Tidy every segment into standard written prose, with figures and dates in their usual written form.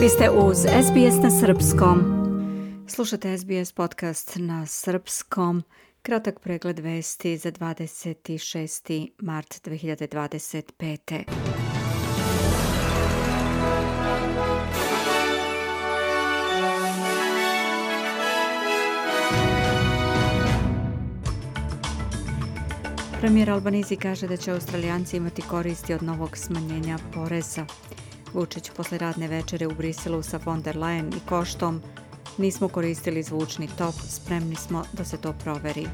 Vi ste uz SBS na srpskom. Slušate SBS podcast na srpskom. Kratak pregled vesti za 26. mart 2025. Premijer Albanese kaže da će Australijanci imati koristi od novog smanjenja poreza. Vučić posle radne večere u Briselu sa von der Leyen i Koštom: nismo koristili zvučni top, spremni smo da se to proveri.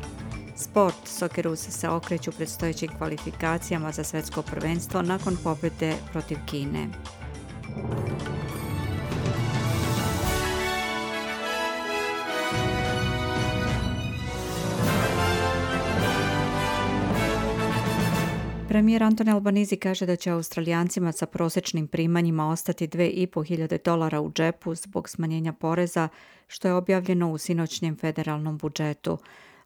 Sport, Socceroos se okreću predstojećim kvalifikacijama za svetsko prvenstvo nakon pobjede protiv Kine. Premijer Anthony Albanese kaže da će Australijancima sa prosječnim primanjima ostati $2.500 u džepu zbog smanjenja poreza, što je objavljeno u sinoćnjem federalnom budžetu.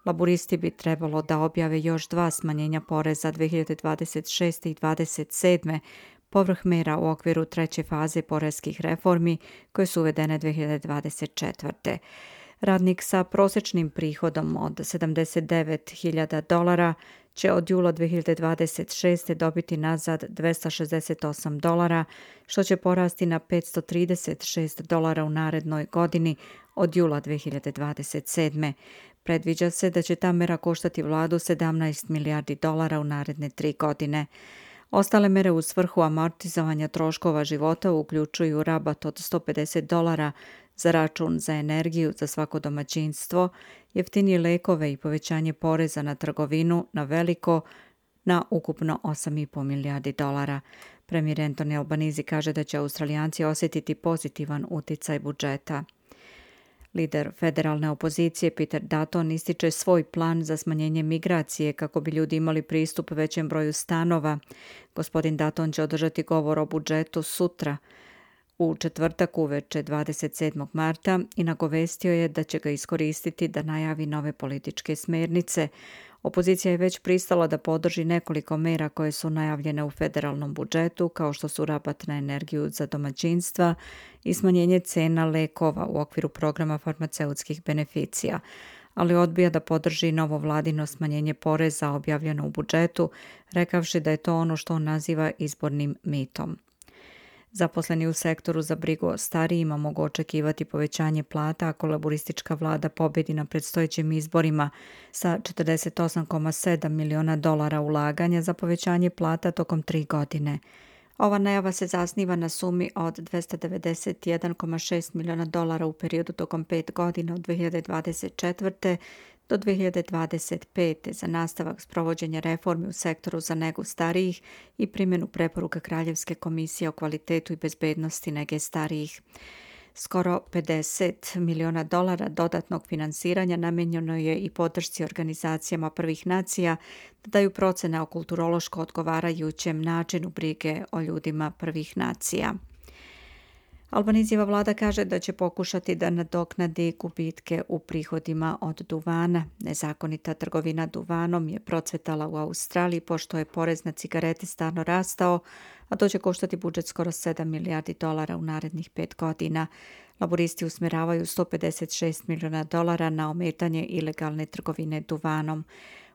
Laburisti bi trebalo da objave još 2 smanjenja poreza 2026. i 2027. povrh mera u okviru treće faze poreskih reformi koje su uvedene 2024. Radnik sa prosječnim prihodom od $79.000 će od jula 2026. dobiti nazad $268, što će porasti na $536 u narednoj godini od jula 2027. Predviđa se da će ta mera koštati vladu $17 milijardi u naredne 3 godine. Ostale mere u svrhu amortizovanja troškova života uključuju rabat od $150 za račun za energiju za svako domaćinstvo, jeftinije lekove i povećanje poreza na trgovinu na veliko na ukupno $8,5 milijardi. Premijer Anthony Albanese kaže da će Australijanci osjetiti pozitivan uticaj budžeta. Lider federalne opozicije Peter Dutton ističe svoj plan za smanjenje migracije kako bi ljudi imali pristup većem broju stanova. Gospodin Dutton će održati govor o budžetu sutra, u četvrtak uveče 27. marta i nagovestio je da će ga iskoristiti da najavi nove političke smernice. Opozicija je već pristala da podrži nekoliko mera koje su najavljene u federalnom budžetu, kao što su rabat na energiju za domaćinstva i smanjenje cena lekova u okviru programa farmaceutskih beneficija, ali odbija da podrži novo vladino smanjenje poreza objavljeno u budžetu, rekavši da je to ono što on naziva izbornim mitom. Zaposleni u sektoru za brigu o starijima mogu očekivati povećanje plata ako laboristička vlada pobjedi na predstojećim izborima sa $48,7 miliona ulaganja za povećanje plata tokom 3 godine. Ova najava se zasniva na sumi od $291,6 miliona u periodu tokom 5 godina od 2024. do 2025. za nastavak sprovođenja reformi u sektoru za negu starijih i primjenu preporuka Kraljevske komisije o kvalitetu i bezbednosti nege starijih. Skoro $50 miliona dodatnog finansiranja namijenjeno je i podršci organizacijama prvih nacija da daju procene o kulturološko odgovarajućem načinu brige o ljudima prvih nacija. Albanesijeva vlada kaže da će pokušati da nadoknadi gubitke u prihodima od duvana. Nezakonita trgovina duvanom je procvetala u Australiji pošto je porez na cigarete stalno rastao, a to će koštati budžet skoro $7 milijardi u narednih 5 godina. Laboristi usmjeravaju $156 miliona na ometanje ilegalne trgovine duvanom.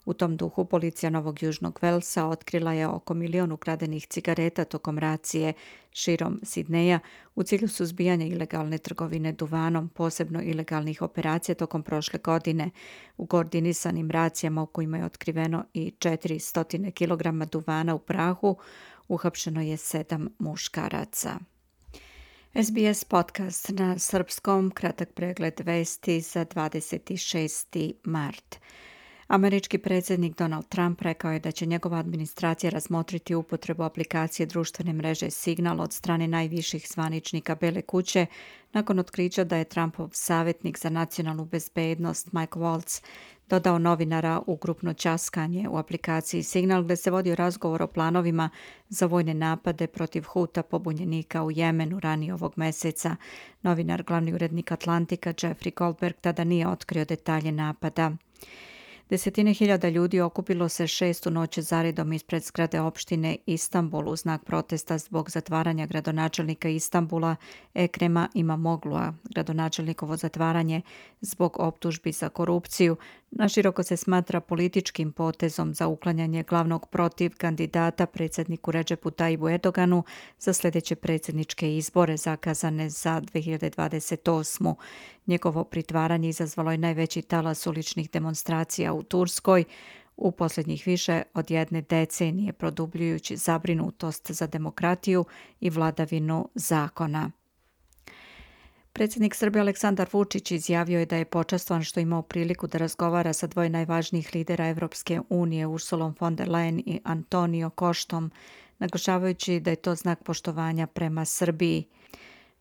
U tom duhu policija Novog Južnog Velsa otkrila je oko 1 milion ukradenih cigareta tokom racije širom Sidneja u cilju suzbijanja ilegalne trgovine duvanom, posebno ilegalnih operacija tokom prošle godine. U koordinisanim racijama u kojima je otkriveno i 400 kg duvana u prahu, uhapšeno je 7 muškaraca. SBS podcast na srpskom, kratak pregled vesti za 26. mart. Američki predsjednik Donald Trump rekao je da će njegova administracija razmotriti upotrebu aplikacije društvene mreže Signal od strane najviših zvaničnika Bele kuće nakon otkrića da je Trumpov savjetnik za nacionalnu bezbednost Mike Waltz dodao novinara u grupno ćaskanje u aplikaciji Signal gdje se vodio razgovor o planovima za vojne napade protiv Huta pobunjenika u Jemenu ranije ovog mjeseca. Novinar, glavni urednik Atlantika Jeffrey Goldberg, tada nije otkrio detalje napada. Desetine hiljada ljudi okupilo se 6. noć zaredom ispred zgrade opštine Istanbul u znak protesta zbog zatvaranja gradonačelnika Istanbula Ekrema Imamoglu'a. Gradonačelnikovo zatvaranje zbog optužbi za korupciju naširoko se smatra političkim potezom za uklanjanje glavnog protiv kandidata predsjedniku Redžepu Tajibu Erdoganu za sljedeće predsjedničke izbore zakazane za 2028. Njegovo pritvaranje izazvalo je najveći talas uličnih demonstracija u Turskoj u posljednjih više od jedne decenije, produbljujući zabrinutost za demokratiju i vladavinu zakona. Predsjednik Srbije Aleksandar Vučić izjavio je da je počastvovan što je imao priliku da razgovara sa dvoje najvažnijih lidera Evropske unije, Ursulom von der Leyen i Antonio Koštom, naglašavajući da je to znak poštovanja prema Srbiji.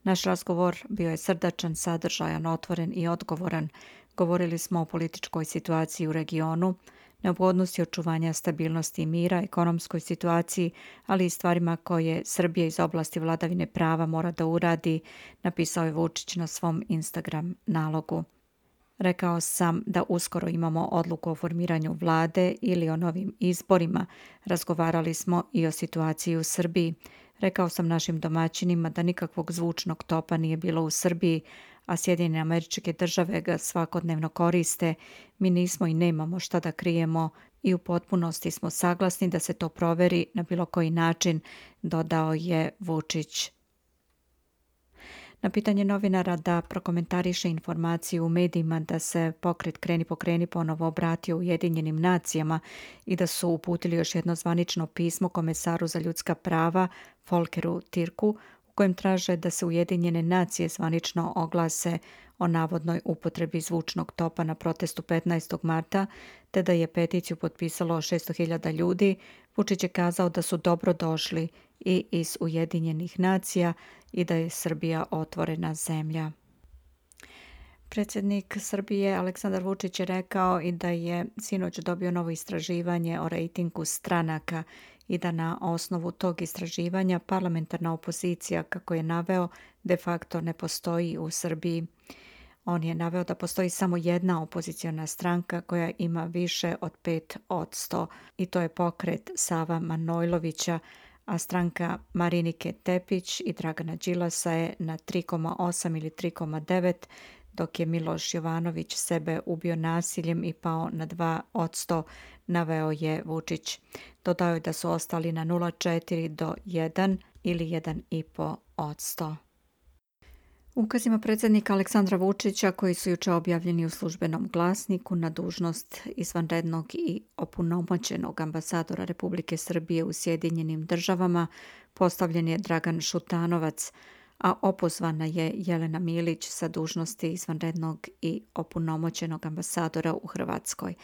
Naš razgovor bio je srdačan, sadržajan, otvoren i odgovoran. Govorili smo o političkoj situaciji u regionu, neophodnosti očuvanja stabilnosti i mira, ekonomskoj situaciji, ali i stvarima koje Srbija iz oblasti vladavine prava mora da uradi, napisao je Vučić na svom Instagram nalogu. Rekao sam da uskoro imamo odluku o formiranju vlade ili o novim izborima. Razgovarali smo i o situaciji u Srbiji. Rekao sam našim domaćinima da nikakvog zvučnog topa nije bilo u Srbiji, a Sjedinjene Američke Države ga svakodnevno koriste. Mi nismo i nemamo šta da krijemo i u potpunosti smo saglasni da se to proveri na bilo koji način, dodao je Vučić. Na pitanje novinara da prokomentariše informaciju u medijima da se pokret Kreni pokreni ponovo obratio Ujedinjenim nacijama i da su uputili još jedno zvanično pismo komesaru za ljudska prava Volkeru Türku u kojem traže da se Ujedinjene nacije zvanično oglase o navodnoj upotrebi zvučnog topa na protestu 15. marta, te da je peticiju potpisalo 600.000 ljudi, Vučić je kazao da su dobro došli i iz Ujedinjenih nacija i da je Srbija otvorena zemlja. Predsjednik Srbije Aleksandar Vučić je rekao i da je sinoć dobio novo istraživanje o rejtingu stranaka i da na osnovu tog istraživanja parlamentarna opozicija, kako je naveo, de facto ne postoji u Srbiji. On je naveo da postoji samo jedna opoziciona stranka koja ima više od 5% i to je pokret Sava Manojlovića, a stranka Marinike Tepić i Dragana Đilasa je na 3,8 ili 3,9, dok je Miloš Jovanović sebe ubio nasiljem i pao na 2%, naveo je Vučić. Dodao je da su ostali na 0,4 do 1 ili 1,5%. Ukazima predsjednika Aleksandra Vučića, koji su juče objavljeni u službenom glasniku, na dužnost izvanrednog i opunomoćenog ambasadora Republike Srbije u Sjedinjenim Državama postavljen je Dragan Šutanovac, a opozvana je Jelena Milić sa dužnosti izvanrednog i opunomoćenog ambasadora u Hrvatskoj.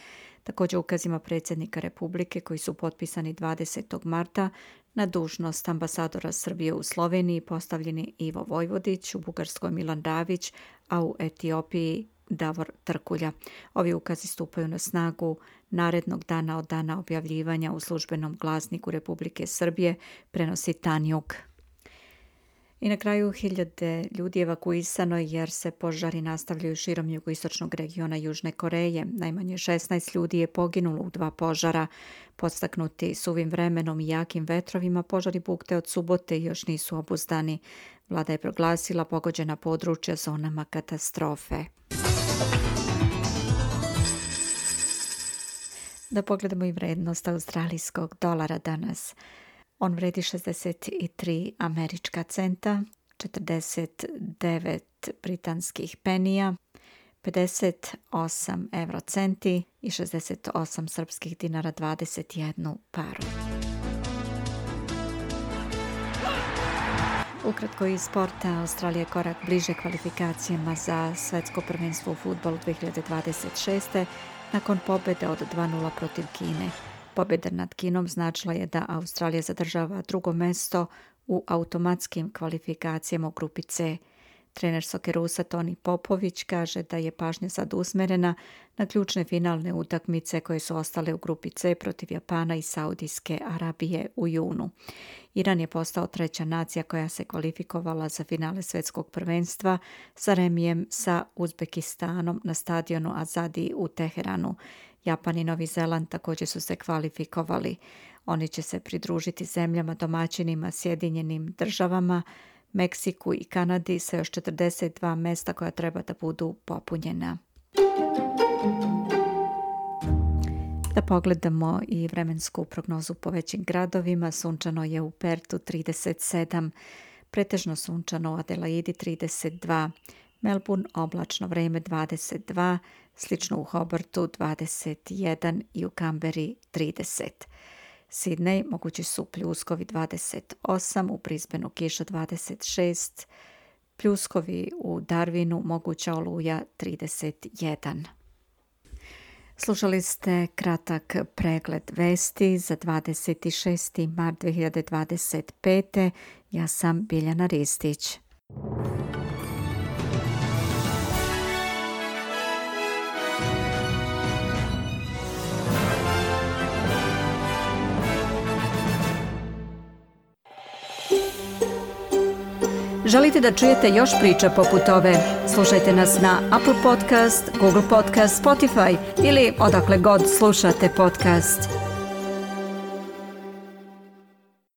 Također ukazima predsjednika Republike, koji su potpisani 20. marta, na dužnost ambasadora Srbije u Sloveniji postavljeni Ivo Vojvodić, u Bugarskoj Milan Davić, a u Etiopiji Davor Trkulja. Ovi ukazi stupaju na snagu narednog dana od dana objavljivanja u službenom glasniku Republike Srbije, prenosi Tanjug. I na kraju 1000 ljudi evakuisano jer se požari nastavljaju širom jugoistočnog regiona Južne Koreje. Najmanje 16 ljudi je poginulo u 2 požara. Podstaknuti suvim vremenom i jakim vetrovima, požari bukte od subote još nisu obuzdani. Vlada je proglasila pogođena područja zonama katastrofe. Da pogledamo i vrednost australijskog dolara danas. On vredi 63 američka centa, 49 britanskih penija, 58 eurocenti i 68 srpskih dinara 21 paru. Ukratko iz sporta, Australija je korak bliže kvalifikacijama za svjetsko prvenstvo u fudbalu 2026. nakon pobjede od 2:0 protiv Kine. Pobjeda nad Kinom značila je da Australija zadržava drugo mesto u automatskim kvalifikacijama u grupi C. Trener Sokerusa Toni Popović kaže da je pažnja sad usmerena na ključne finalne utakmice koje su ostale u grupi C protiv Japana i Saudijske Arabije u junu. Iran je postao treća nacija koja se kvalifikovala za finale svjetskog prvenstva sa remijem sa Uzbekistanom na stadionu Azadi u Teheranu. Japan i Novi Zeland također su se kvalifikovali. Oni će se pridružiti zemljama domaćinima Sjedinjenim državama, Meksiku i Kanadi sa još 42 mjesta koja treba da budu popunjena. Da pogledamo i vremensku prognozu po većim gradovima. Sunčano je u Pertu 37, pretežno sunčano u Adelaidi 32, Melbourne oblačno vrijeme 22, slično u Hobartu 21 i u Kamberi 30. Sidney mogući su pljuskovi 28, u Brisbaneu kiša 26, pljuskovi u Darwinu moguća oluja 31. Slušali ste kratak pregled vesti za 26. mart 2025. Ja sam Biljana Ristić. Želite da čujete još priča poput ove? Slušajte nas na Apple Podcast, Google Podcast, Spotify ili odakle god slušate podcast.